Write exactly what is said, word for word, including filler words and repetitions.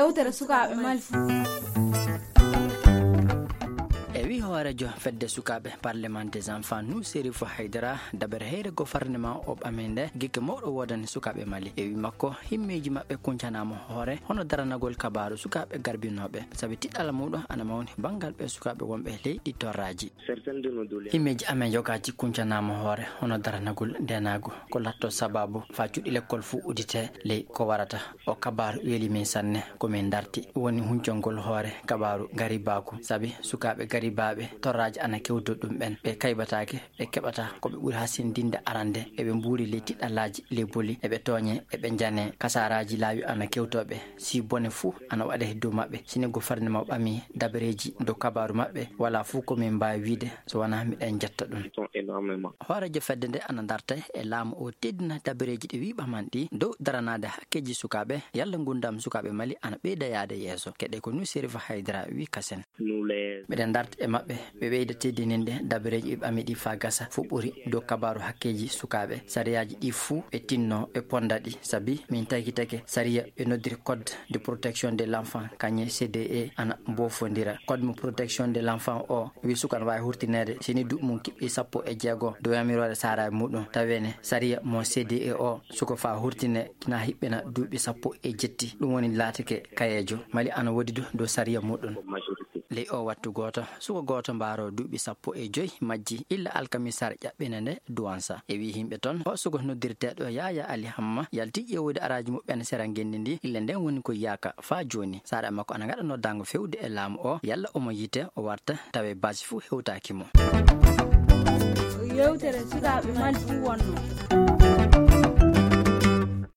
Yewtere sukaaɓe Mali. E wi hoorejo fedde sukaaɓe Parlement des Enfants, Nuserifu Haydara, dabere heyre gouvernement o ɓaminde gikke mawɗo woodani sukaaɓe Mali. E wi makko, himmeeji maɓɓe kuncanaama hoore hono daranagol kabaaru sukaaɓe garbinooɓe, sabi tiɗɗal muuɗo ana mawni banngal ɓe sukaaɓe wonɓe leyɗi torraaji. Himmeeji amen yogaji kuncanaama hoore hono daranagol ndenaagu, ko latto sababu faa cuuɗi lekkol fuu udite ley ko warata. O kabaaru weli min sanne, ko min darti woni huncongol hoore kabaaru garibaaku, sabi sukaaɓe garibaaɓe torraaji ana kewdo ɗum ɓen, ɓe kaybataake, ɓe keɓata ko ɓe ɓuri hasindinde arande, eɓe mbuuri ley tiɗɗalaaji, ley boli, eɓe tooñe, eɓe njane, kasaaraaji laawi ana kewtooɓe, si bone fuu ana waɗe dow maɓɓe. Sini gouvernement ɓami dabareeji dow kabaaru maɓɓe, wala fuu ko min mbaawi wiide so wonaa miɗen jetta ɗum. Hooreejo fedde nde ana darta e laamu o teddina dabareeji ɗi wi ɓaman ɗi dow daranaade hakkeeji sukaaɓe, yalla ngundam sukaaɓe Mali ana ɓeyda yaade yeeso. Keɗe ko Nuserifu Haydara wi kasen. Miɗen darta e maɓɓe, ɓe ɓeyda teddininde dabareeji ɓe ɓami ɗi faa gasa fuu ɓuri dow kabaaru hakkeeji sukaaɓe. Sariyaaji ɗi fuu ɓe tinno ɓe ponda ɗi, sabi min takitake sariya ɓe noddiri Code de protection de l'enfant, kañe C D E ana mbofondira. Code mo protection de l'enfant o wi suka ana waawi hurtineede sini duuɓi mum kiɓɓi sappo e jeego dow yamiroore saaraaɓe muɗum. Tawene sariya mo C D E o suka faa hurtine na hiɓɓina duuɓi sappo e jetti. Ɗum woni laatike kayeejo. Mali ana woodi du dow sariya muɗum. Ley o wattu gooto, suka gooto mbaaro duuɓi sappo e joy majji illa alkamisaare ƴaɓɓina nde duwansa. E wi himɓe ton, o suka noddirteeɗo Yaya Ali Hamma yalti ƴeewude araaji muɓɓen sera ngenndi ndi, illa nden woni ko yaaka faa jooni. Saaraaɓe makko ana ngaɗa noddaango fewde e laamu o, yalla omo yite o warta, tawe baasi fuu hewtaaki mo. Yewtere sukaaɓe Mali fuu wonno.